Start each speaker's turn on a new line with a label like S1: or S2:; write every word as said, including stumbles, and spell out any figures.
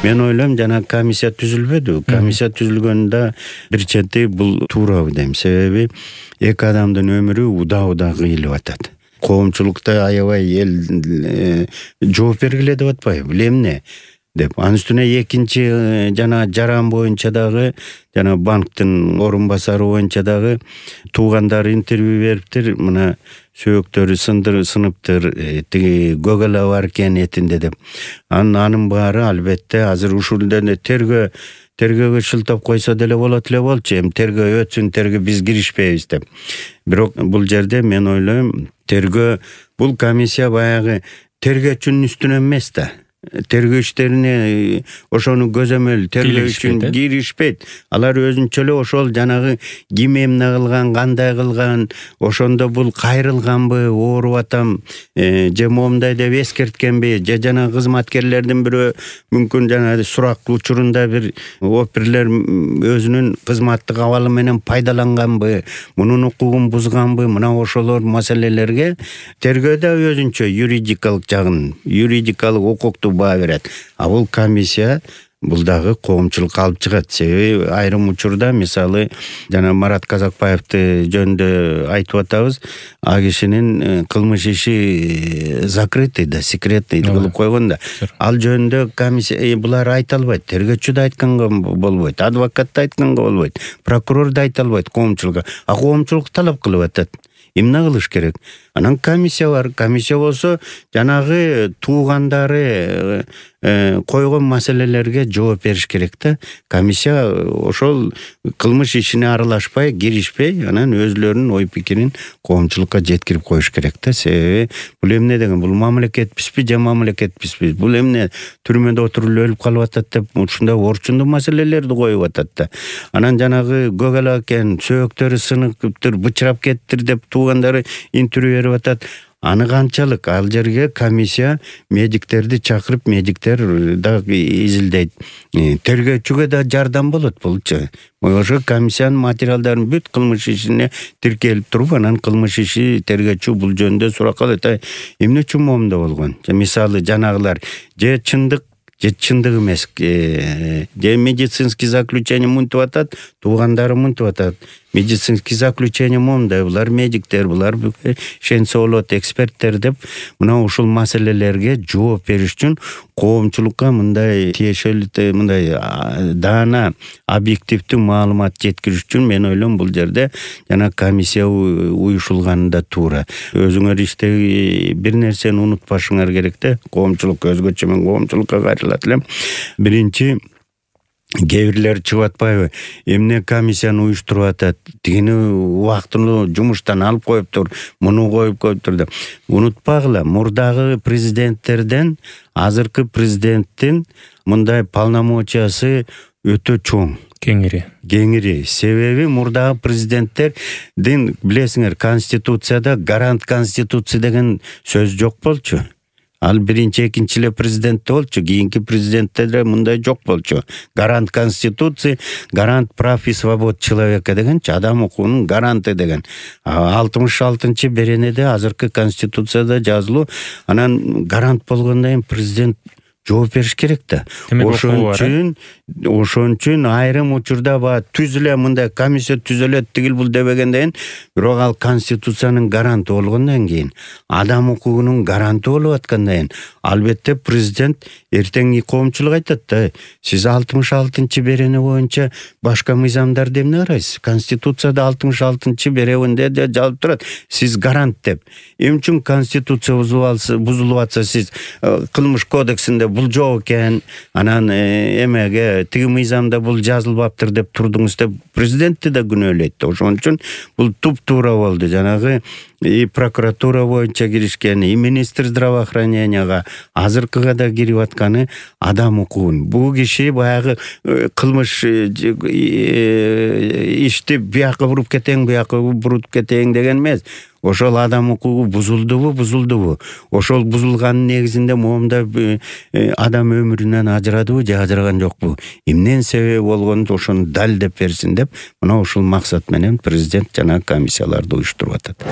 S1: Мен ойлойм жана комиссия түзүлбөдү. Комиссия түзүлгөндө бир чети бул туурабы дейм. Себеби эки адамдын өмүрү уда-уда кыйылып атат. Коомчулукта аябай эл жооп бергиле деп атпайбы, эмне деп. Анын үстүнө экинчи жана жаран боюнча дагы, жана банктын орун басары боюнча дагы туугандары интервью бериптир. Мына сөөктөрү сындыр сыныптыр, тиги көгөлө бар экен этинде деп. Анын анын баары албетте азыр ушул эле тергөө тергөөгө шылтап койсо деле болот эле болчу. Эми тергөө өтсүн, тергөө биз киришпейбиз деп. Бирок бул жерде мен ойлойм, тергөө бул комиссия баягы тергөөчүнүн үстүнө эмес да. Тергөө иштерине ошону көзөмөл тергөө үчүн киришпейт. Алар өзүнчө эле ошол жанагы ким эмне кылган, кандай кылган, ошондо бул кайрылганбы, ооруп атам, же момундай деп эскерткенби, же жана кызматкерлердин бирөө мүмкүн жана сурак учурунда бир оперлер өзүнүн кызматтык абалы менен пайдаланганбы, мунун укугун бузганбы, мына ошолор маселелерге тергөөдө өзүнчө юридикалык жагын, юридикалык укукту баа берет. А бул комиссия бул дагы коомчулукка алып чыгат. Себеби айрым учурда, мисалы, жана Марат Казакбаевди жөнүндө айтып атабыз, а кишинин кылмыш иши закрытый да, секретный кылып койгон да. Ал жөнүндө комиссия булар айта албайт, тергөөчү да айтканга болбойт, адвокат да айтканга болбойт, прокурор да айта албайт коомчулукка. А коомчулук талап кылып атат. Эмне кылыш керек? Анан комиссия бар. Комиссия болсо жанагы туугандары койгон маселелерге жооп бериш керек да. Комиссия ошол кылмыш ишине аралашпай, киришпей, анан өзлөрүнүн ой пикирин коомчулукка жеткирип коюш керек да. Себеби бул эмне деген, бул мамлекетпизби же мамлекетпизби? Бул эмне түрмөдө отуруп өлүп калып атат деп ушундай орчундуу маселелерди коюп атат да. Анан жанагы көгөлө экен, сөөктөрү сыныптыр, бычырап кеттир деп туугандары интервью берип атат. Аны канчалык? Ал жерге комиссия медиктерди чакырып, медиктер да изилдейт. Тергөөчүгө да жардам болот булчу. Ошо комиссиянын материалдарын бүт кылмыш ишине тиркелип туруп, анан кылмыш иши тергөөчү бул жөнүндө сурак кылат. Эмне үчүн момунда болгон? Мисалы жанагылар же чындык же чындык эмес, же медицинский заключение мынтип атат, туугандары мынтип атат. Медицинский заключение момундай, булар медиктер, булар ишенсе болот, эксперттер деп, мына ушул маселелерге жооп бериш үчүн коомчулукка мындай тиешелүү, мындай даана, объективдүү маалымат жеткириш үчүн мен ойлойм бул жерде жана комиссия уюшулганы да туура. Өзүңөр иштеги бир нерсени унутпашыңар керек да. Коомчулук өзгөчө, мен коомчулукка кайрылат элем. Биринчи, кээ бирлер чыгып атпайбы? Эмне комиссияны уюштуруп атат? Тигини убактылуу жумуштан алып коюптур, муну коюп коюптур деп. Унутпагыла, мурдагы президенттерден азыркы президенттин мындай полномочиясы өтө чоң.
S2: Кеңири.
S1: Кеңири. Себеби мурдагы президенттердин, билесиңер, конституцияда гарант конституция деген сөз жок болчу. Ал биринчи, экинчи эле президентте болчу, кийинки президенттерде мындай жок болчу. Гарант конституции, гарант прав и свобод человека дегенчи, адам укугунун гаранты деген. алтымыш алтынчы беренеде азыркы конституцияда жазылуу. Анан гарант болгондон кийин президент жооп бериш керек да. Ошон үчүн, ошон үчүн айрым учурда ба түзүлө, мындай комиссия түзүлөт, тигил бул дебегенден, бирок ал конституциянын гаранты болгондон кийин, адам укугунун гаранты болуп аткандан кийин, албетте президент эртең коомчулук айтат да, сиз алтымыш алтынчы берене боюнча башка мыйзамдарды эмне карайсыз? Конституцияда алтымыш алтынчы беренеде жазылып турат, сиз гарант деп. Эмне үчүн конституция бузулуп атса, сиз кылмыш кодексинде бул жок экен, анан эмеге тиги мыйзамда бул жазылбаптыр деп турдуңуз деп президентти да күнөөлөйт. Ошон үчүн бул туп-туура болду. Жанагы и прокуратура боюнча киришкен, и министр здравоохраненияга, азыркыга да кирип атканы адам укугун. Бул киши баягы кылмыш ишти бияка буруп кетең, бияка буруп кетең деген эмес. Ошол адам укугу бузулдубу, бузулдубу? Ошол бузулганын негизинде момунда адам өмүрүнөн ажырадыбы же ажыраган жокпу? Эмнен себеби болгонун ошону далилдеп берсин деп, мына ушул максат менен президент жана комиссияларды уюштуруп атат.